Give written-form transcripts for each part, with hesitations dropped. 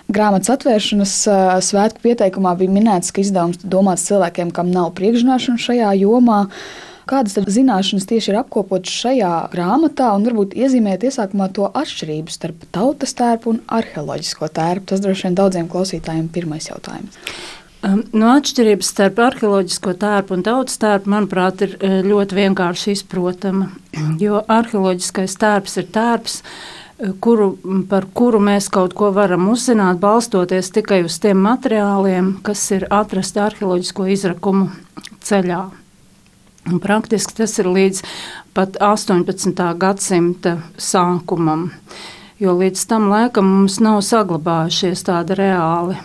Grāmatas atvēršanas svētku pieteikumā bija minēts, ka izdevums domāts cilvēkiem, kam nav priekšzināšanu šajā jomā. Kādas tad zināšanas tieši ir apkopotas šajā grāmatā, un varbūt iezīmēt iesākumā to atšķirību starp tautas tērpu un arheoloģisko tērpu? Tas droši vien daudziem klausītājiem pirmais jautājums. No atšķirības starp arheoloģisko tērpu un tautas tērpu, manuprāt, ir ļoti vienkārši izprotama, jo arheoloģiskais tērps ir tērps, par kuru mēs kaut ko varam uzzināt, balstoties tikai uz tiem materiāliem, kas ir atrasti arheoloģisko izrakumu ceļā. Un praktiski tas ir līdz pat 18. gadsimta sākumam, jo līdz tam laikam mums nav saglabājušies tādi reāli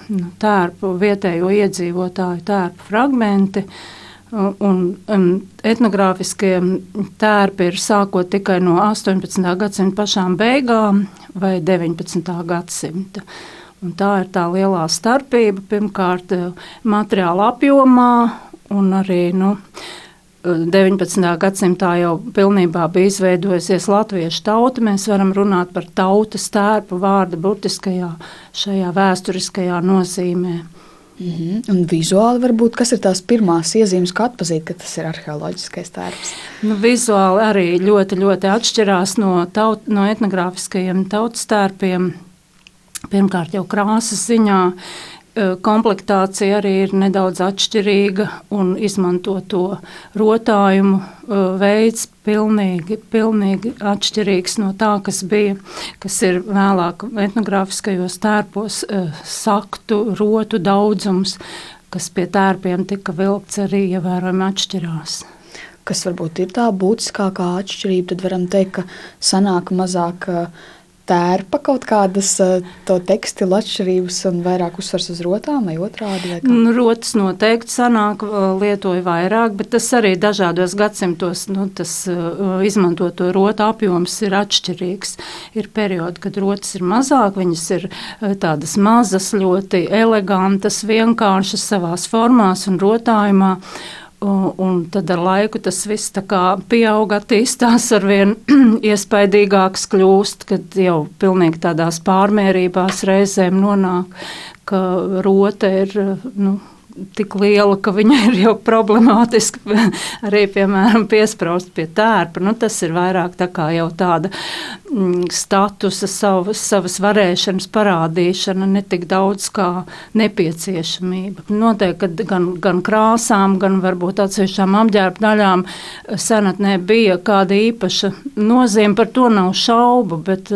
tērpu, vietējo iedzīvotāju tērpu fragmenti, un etnogrāfiskie tērpi ir sākot tikai no 18. gadsimta pašām beigām vai 19. gadsimta. Un tā ir tā lielā starpība, pirmkārt materiāla apjomā, un arī, 19. gadsimtā jau pilnībā bija izveidojusies latviešu tauta. Mēs varam runāt par tautas tērpu vārda burtiskajā šajā vēsturiskajā nozīmē. Un vizuāli varbūt, kas ir tās pirmās iezīmes, kā atpazīt, ka tas ir arheoloģiskais tērps? Vizuāli arī ļoti, ļoti atšķirās no etnogrāfiskajiem tautas tērpiem. Pirmkārt jau krāsas ziņā. Komplektācija arī ir nedaudz atšķirīga un izmantoto rotājumu veids pilnīgi atšķirīgs no tā, kas ir vēlāk etnogrāfiskajos tērpos saktu, rotu daudzums, kas pie tērpiem tika vilkts arī ievērojami atšķirās. Kas varbūt ir tā būtiskākā atšķirība, tad varam teikt, ka sanāk mazāk tērpa kaut kādas to tekstilu atšķirības un vairāk uzsvars uz rotām vai otrādi? Vai kā? Rotas noteikti sanāk, lietoja vairāk, bet tas arī dažādos gadsimtos, tas izmantoto rotu apjoms ir atšķirīgs. Ir periodi, kad rotas ir mazāk, viņas ir tādas mazas, ļoti elegantas, vienkāršas savās formās un rotājumā. Un tad ar laiku tas viss tā kā pieaug, attīstās arvien iespaidīgāks kļūst, kad jau pilnīgi tādās pārmērībās reizēm nonāk, ka rota ir, tik liela, ka viņa ir jau problemātiska arī, piemēram, piespraust pie tērpa. Tas ir vairāk tā kā jau tāda statusa, savas varēšanas parādīšana, ne tik daudz kā nepieciešamība. Noteikti, ka gan krāsām, gan varbūt atsevišķām apģērba daļām senatnē bija kāda īpaša nozīme, par to nav šaubu, bet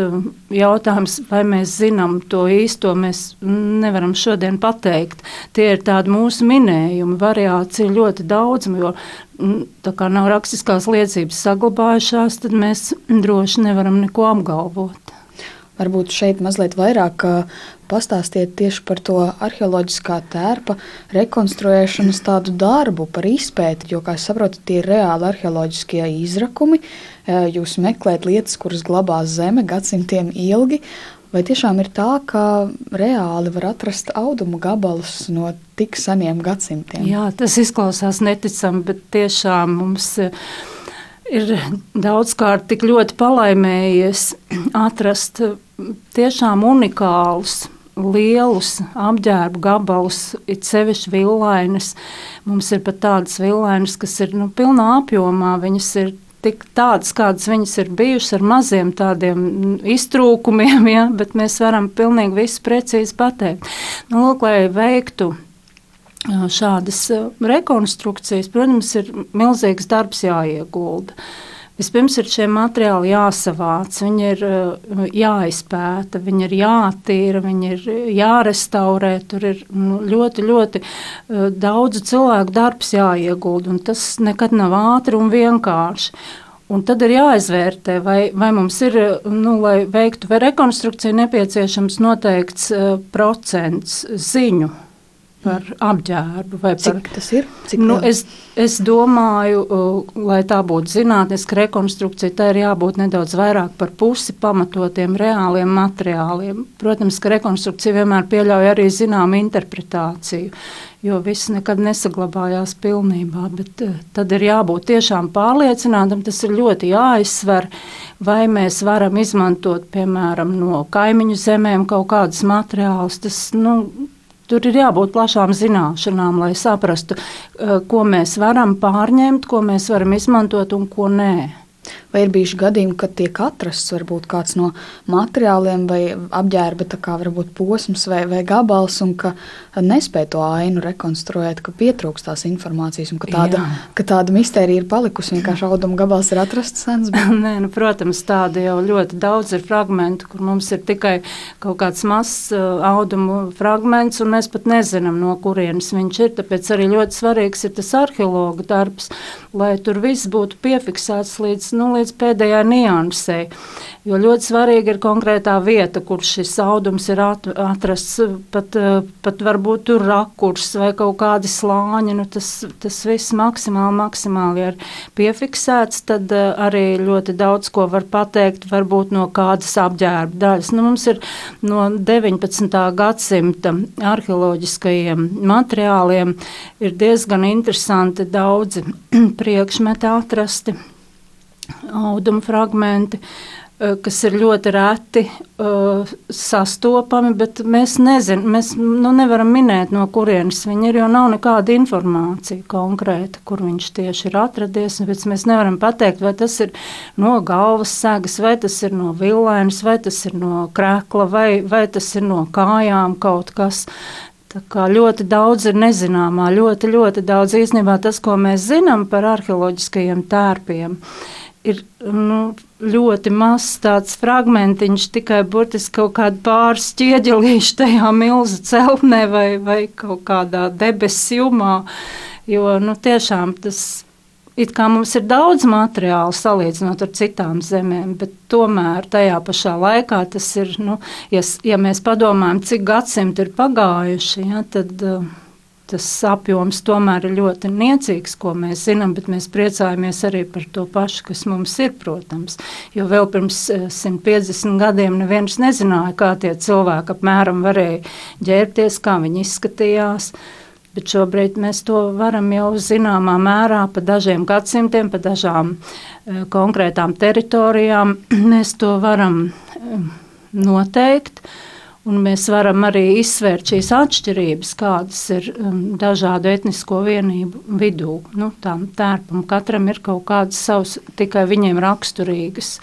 jautājums, vai mēs zinām to īsto, mēs nevaram šodien pateikt. Tie ir tādi mūsu minējumi, variācija ļoti daudz, jo tā kā nav rakstiskās liecības saglabājušās, tad mēs droši nevaram neko apgalvot. Varbūt šeit mazliet vairāk pastāstiet tieši par to arheoloģiskā tērpa rekonstruēšanas tādu darbu, par izpēti, jo, kā es saprotu, tie ir reāli arheoloģiskie izrakumi. Jūs meklējat lietas, kuras glabās zeme gadsimtiem ilgi. Vai tiešām ir tā, ka reāli var atrast audumu gabalus no tik seniem gadsimtiem? Jā, tas izklausās neticami, bet tiešām mums ir daudzkārt tik ļoti palaimējies atrast tiešām unikālus, lielus apģērbu gabalus, it sevišķi villainas. Mums ir pat tādas villainas, kas ir pilnā apjomā, viņas ir tik tādas, kādas viņas ir bijušas ar maziem tādiem iztrūkumiem, ja, bet mēs varam pilnīgi visu precīzi pateikt. Lūk, lai veiktu šādas rekonstrukcijas, protams, ir milzīgs darbs jāiegulda. Vispirms ir šie materiāli jāsavāc, viņi ir jāizpēta, viņi ir jātīra, viņi ir jārestaurē, tur ir ļoti, ļoti daudzu cilvēku darbs jāiegulda, un tas nekad nav ātri un vienkārši. Un tad ir jāizvērtē, vai mums ir, lai veiktu rekonstrukciju, nepieciešams noteikts procents ziņu. par apģērbu. Vai Cik par, tas ir? Cik es domāju, lai tā būtu zinātniska rekonstrukcija, tā ir jābūt nedaudz vairāk par pusi pamatotiem reāliem materiāliem. Protams, ka rekonstrukcija vienmēr pieļauj arī zināmu interpretāciju, jo viss nekad nesaglabājās pilnībā, bet tad ir jābūt tiešām pārliecinātam, tas ir ļoti jāizsver, vai mēs varam izmantot, piemēram, no kaimiņu zemēm kaut kādus materiālus, tas, tur ir jābūt plašām zināšanām, lai saprastu, ko mēs varam pārņemt, ko mēs varam izmantot un ko nē. Vai ir bijuši gadījumi, kad tiek atrasts varbūt kāds no materiāliem vai apģērba, tā kā varbūt posms vai gabals, un ka nespēj to ainu rekonstruēt, ka pietrūkst tās informācijas, un ka tāda mistērija ir palikusi, vienkārši auduma gabals ir atrasts sens? Nē, protams, tāda jau ļoti daudz ir fragmentu, kur mums ir tikai kaut kāds mazs audumu fragments, un mēs pat nezinām, no kurienes viņš ir, tāpēc arī ļoti svarīgs ir tas arheologa darbs, lai tur viss būtu piefiksēts līdz pēdējai niansei, jo ļoti svarīgi ir konkrētā vieta, kur šis audums ir atrasts, pat varbūt tur rakurs vai kaut kādi slāņi, tas viss maksimāli ir piefiksēts, tad arī ļoti daudz ko var pateikt, varbūt no kādas apģērba daļas. Mums ir no 19. gadsimta arheoloģiskajiem materiāliem ir diezgan interesanti daudzi priekšmeti atrasti, auduma fragmenti, kas ir ļoti reti sastopami, bet mēs nevaram minēt, no kurienes viņi ir, jo nav nekāda informācija konkrēta, kur viņš tieši ir atradies, bet mēs nevaram pateikt, vai tas ir no galvas segas, vai tas ir no villainas, vai tas ir no krekla, vai tas ir no kājām kaut kas. Tā kā ļoti daudz ir nezināmā, ļoti, ļoti daudz īstenībā tas, ko mēs zinām par arheoloģiskajiem tērpiem, ir ļoti mazs tāds fragmentiņš, tikai burtiski kaut kādi pāris ķieģelīši tajā milzu celtnē vai kaut kādā debesu jumā, jo tiešām tas it kā mums ir daudz materiālu salīdzinot ar citām zemēm, bet tomēr tajā pašā laikā tas ir, ja mēs padomājam, cik gadsimti ir pagājuši, tad tas apjoms tomēr ir ļoti niecīgs, ko mēs zinām, bet mēs priecājamies arī par to pašu, kas mums ir, protams. Jo vēl pirms 150 gadiem neviens nezināja, kā tie cilvēki apmēram varēja ģērbties, kā viņi izskatījās. Bet šobrīd mēs to varam jau zināmā mērā pa dažiem gadsimtiem, pa dažām konkrētām teritorijām. Mēs to varam noteikt. Un mēs varam arī izsvērt šīs atšķirības, kādas ir dažādu etnisko vienību vidū. Tām tērpam katram ir kaut kādas savas tikai viņiem raksturīgas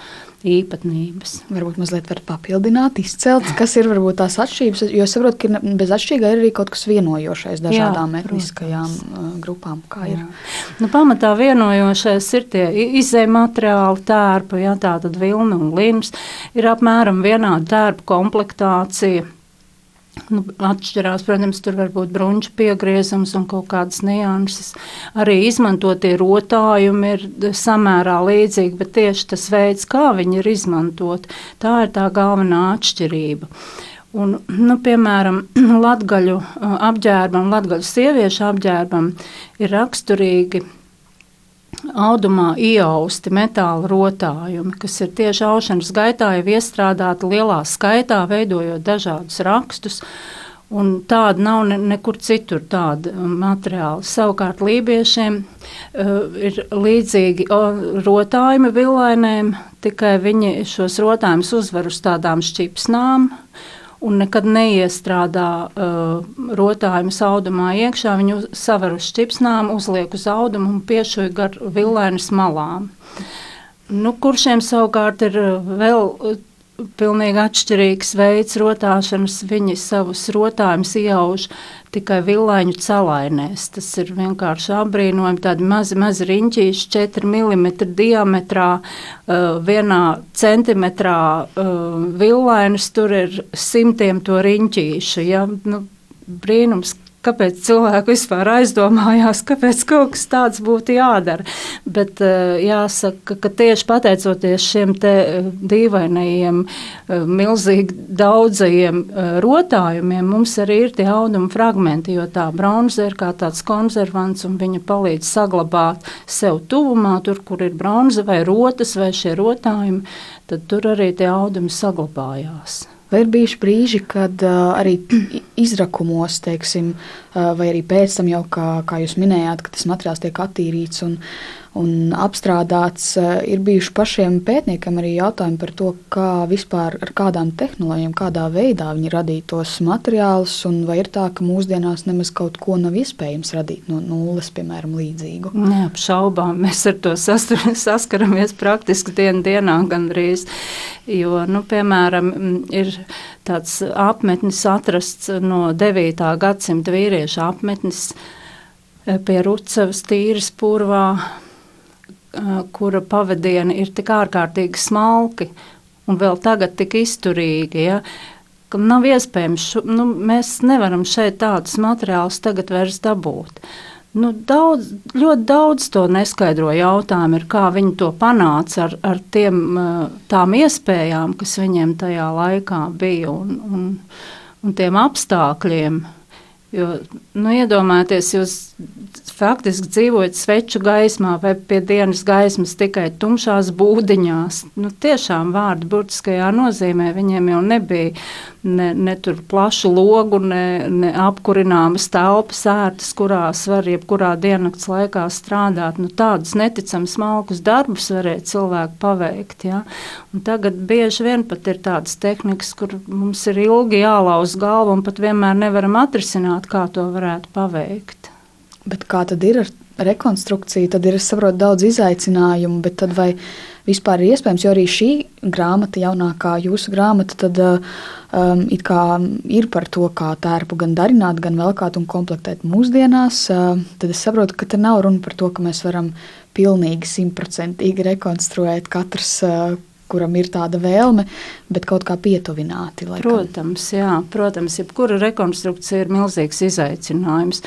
īpatnības. Varbūt mazliet var papildināt, izcelt, kas ir varbūt tās atšķirības, jo es saprotu, ka bez atšķirīgā ir arī kaut kas vienojošais dažādām etniskajām grupām. Kā ir? Pamatā vienojošais ir tie izēja materiāli tērpa, tātad vilna un lins, ir apmēram vienāda tērpa komplektācija. Atšķirās, protams, tur var būt bruņķa piegriezums un kaut kādas nianses. Arī izmantotie rotājumi ir samērā līdzīgi, bet tieši tas veids, kā viņi ir izmantot, tā ir tā galvenā atšķirība. Un, piemēram, latgaļu apģērbam, latgaļu sieviešu apģērbam ir raksturīgi audumā iausti metāla rotājumi, kas ir tieši aušanas gaitā jau iestrādāti lielā skaitā, veidojot dažādus rakstus, un tāda nav nekur citur tāda materiāla. Savukārt lībiešiem ir līdzīgi rotājumi villainēm, tikai viņi šos rotājumus uzvar uz tādām šķipsnām, un nekad neiestrādā rotājumus audumā iekšā. Viņu saver uz šķipsnām, uzliek uz audumu un piešuj gar villainas malām. Kuršiem savukārt ir vēl pilnīgi atšķirīgs veids rotāšanas. Viņi savus rotājumus iauž tikai villaiņu celainēs. Tas ir vienkārši apbrīnojami, tādi mazi riņķīši, 4 mm diametrā, 1 centimetrā villainas, tur ir simtiem to riņķīšu. Ja? Brīnums, kāpēc cilvēki vispār aizdomājās, kāpēc kaut kas tāds būtu jādara. Bet jāsaka, ka tieši pateicoties šiem te dīvainajiem, milzīgi daudzajiem rotājumiem, mums arī ir tie auduma fragmenti, jo tā bronza ir kā tāds konservants un viņa palīdz saglabāt sev tuvumā, tur, kur ir bronza vai rotas vai šie rotājumi, tad tur arī tie audumi saglabājās. Vai ir bijuši brīži, kad arī izrakumos, teiksim, vai arī pēc tam jau, kā jūs minējāt, ka tas materiāls tiek attīrīts un apstrādāts, ir bijuši pašiem pētniekiem arī jautājumi par to, kā vispār ar kādām tehnoloģijām, kādā veidā viņi radīja tos materiālus, un vai ir tā, ka mūsdienās nemaz kaut ko nav iespējams radīt no nulles, piemēram, līdzīgu? Neapšaubām, mēs ar to saskaramies praktiski dienā gandrīz, jo, piemēram, ir tāds apmetnis atrasts no 9. gadsimta vīriešu apmetnis pie Rucavas Tīras purvā, kura pavadieni ir tik ārkārtīgi smalki un vēl tagad tik izturīgi, ja, ka nav iespējams, mēs nevaram šeit tādus materiālus tagad vairs dabūt. Ļoti daudz to neskaidro jautājumu ir, kā viņi to panāca ar tām iespējām, kas viņiem tajā laikā bija un tiem apstākļiem. Jo, iedomājieties, jūs faktiski dzīvojat sveču gaismā vai pie dienas gaismas tikai tumšās būdiņās. Tiešām vārdu burtiskajā nozīmē viņiem jau nebija ne tur plašu logu, ne apkurināmas telpas ērtas, kurās var jebkurā diennakts laikā strādāt. Tādus neticami smalkus darbus varēja cilvēki paveikt. Ja? Un tagad bieži vien pat ir tādas tehnikas, kur mums ir ilgi jālauz galvu un pat vienmēr nevaram atrisināt, kā to varētu paveikt. Bet kā tad ir ar rekonstrukciju? Tad ir, es saprotu, daudz izaicinājumu, bet tad vai vispār ir iespējams, jo arī šī grāmata, jaunākā jūsu grāmata, tad it kā ir par to, kā tērpu gan darināt, gan velkāt un komplektēt mūsdienās, tad es saprotu, ka te nav runa par to, ka mēs varam pilnīgi 100% rekonstruēt katrs, kuram ir tāda vēlme, bet kaut kā pietuvināti. Protams, jā. Protams, jebkura rekonstrukcija ir milzīgs izaicinājums.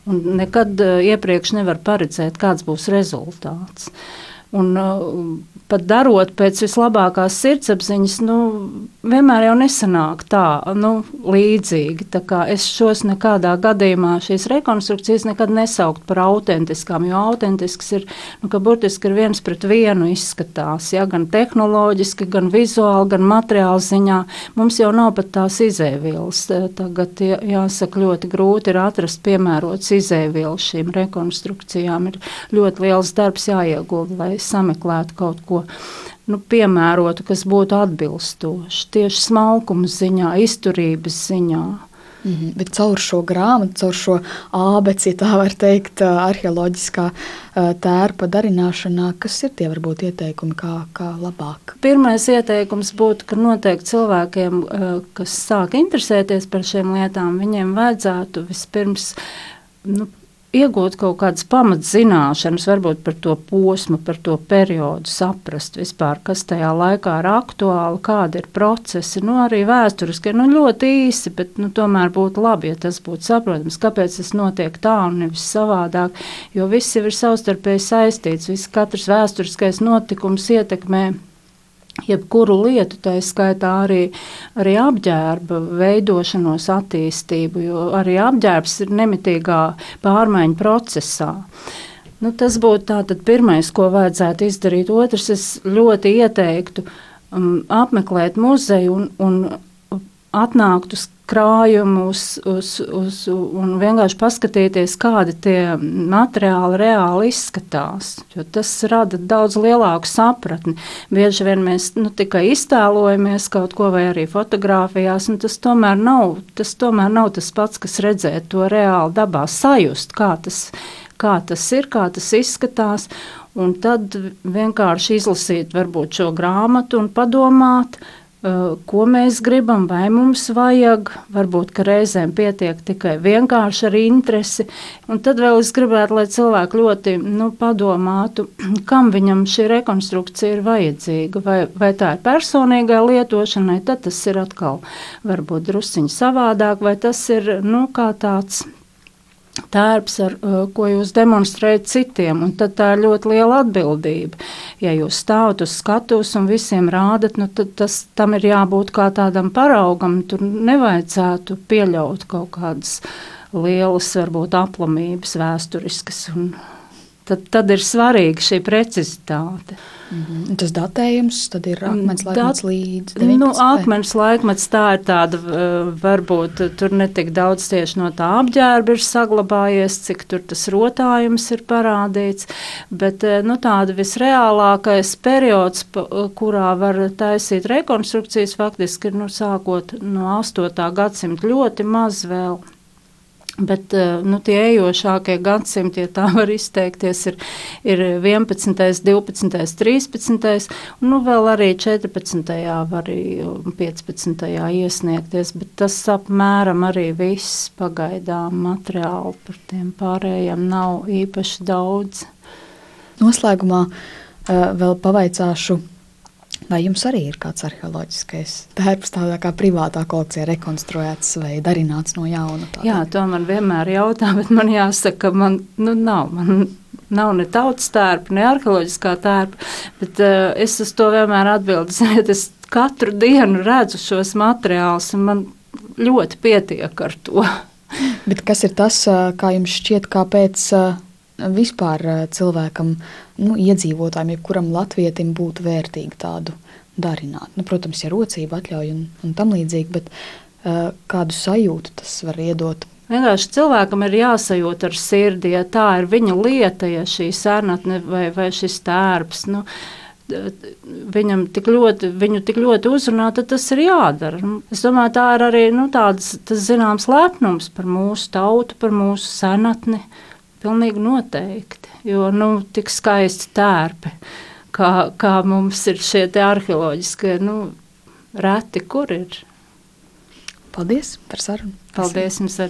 Un nekad iepriekš nevar paredzēt, kāds būs rezultāts. Un pat darot pēc vislabākās sirdsapziņas, vienmēr jau nesanāk tā, līdzīgi. Tā kā es šos nekādā gadījumā šīs rekonstrukcijas nekad nesaukt par autentiskām, jo autentisks ir, ka burtiski ir 1:1 izskatās, ja, gan tehnoloģiski, gan vizuāli, gan materiāli ziņā. Mums jau nav pat tās izēvielas. Tagad, jāsaka, ļoti grūti ir atrast piemērots izēvielas šīm rekonstrukcijām. Ir ļoti liels darbs jāiegulda, lai sameklētu kaut ko piemērotu, kas būtu atbilstoši tieši smalkuma ziņā, izturības ziņā. Bet caur šo grāmatu, caur šo ābeci, ja tā var teikt, arheoloģiskā tērpa darināšanā, kas ir tie varbūt ieteikumi, kā labāk? Pirmais ieteikums būtu, ka noteikti cilvēkiem, kas sāk interesēties par šiem lietām, viņiem vajadzētu vispirms iegūt kaut kādas pamatzināšanas, varbūt par to posmu, par to periodu, saprast vispār, kas tajā laikā ir aktuāli, kādi ir procesi, arī vēsturiski, ļoti īsi, bet tomēr būtu labi, ja tas būtu saprotams, kāpēc tas notiek tā un nevis savādāk, jo viss ir savstarpēji saistīts, katrs vēsturiskais notikums ietekmē jebkuru lietu, tā skaitā arī apģērba veidošanos, attīstību, jo arī apģērbs ir nemitīgā pārmaiņu procesā. Tas būtu tātad pirmais, ko vajadzētu izdarīt. Otrs, es ļoti ieteiktu apmeklēt muzeju un atnākt uz krājumu un vienkārši paskatīties, kādi tie materiāli reāli izskatās, jo tas rada daudz lielāku sapratni. Bieži vien mēs tikai iztēlojamies kaut ko vai arī fotografijās, un tas tomēr nav tas pats, kas redzēt to reāli dabā, sajust, kā tas ir, kā tas izskatās, un tad vienkārši izlasīt varbūt šo grāmatu un padomāt, ko mēs gribam, vai mums vajag, varbūt, ka reizēm pietiek tikai vienkārši ar interesi, un tad vēl es gribētu, lai cilvēki ļoti padomātu, kam viņam šī rekonstrukcija ir vajadzīga, vai tā ir personīgai lietošanai, tad tas ir atkal varbūt drusciņi savādāk, vai tas ir, kā tāds tērps, ko jūs demonstrējat citiem, un tad tā ir ļoti liela atbildība. Ja jūs stāvat uz skatuves un visiem rādat, nu tad tam ir jābūt kā tādam paraugam, tur nevajadzētu pieļaut kaut kādas lielas, varbūt aplamības vēsturiskas, un tad ir svarīga šī precizitāte. Tas datējums tad ir akmens laikmets līdz 19. Akmens laikmets tā ir tāda, varbūt tur netik daudz tieši no tā apģērba ir saglabājies, cik tur tas rotājums ir parādīts, bet tāda visreālākais periods, kurā var taisīt rekonstrukcijas, faktiski ir sākot no 8. gadsimta ļoti maz vēl. Bet tie ejošākie gadsimti, ja tā var izteikties, ir 11., 12., 13. un vēl arī 14. var 15. iesniegties, bet tas apmēram arī viss pagaidām materiāli par tiem pārējiem nav īpaši daudz. Noslēgumā vēl pavaicāšu, vai jums arī ir kāds arheoloģiskais tērps tādā kā privātā kolekcijā rekonstruēts vai darināts no jauna? Jā, to man vienmēr jautā, bet man jāsaka, ka man nav ne tautas tērpa, ne arheoloģiskā tērpa, bet es uz to vienmēr atbildu, ziniet, es katru dienu redzu šos materiālus, un man ļoti pietiek ar to. Bet kas ir tas, kā jums šķiet, kāpēc vispār cilvēkam, iedzīvotājiem, jebkuram latvietim būtu vērtīgi tādu darināt? Protams, ja rocība atļauj un tam līdzīgi, bet kādu sajūtu tas var iedot? Vienkārši cilvēkam ir jāsajūt ar sirdi, ja tā ir viņa lieta, ja šī senatne vai šis tērps, viņu tik ļoti uzrunā, tad tas ir jādara. Es domāju, tā ir arī tas zināms lepnums par mūsu tautu, par mūsu senatni. Pilnīgi noteikti, jo tik skaisti tērpi, kā mums ir šie te arheoloģiskie, reti kur ir. Paldies par sarunu. Paldies jums arī.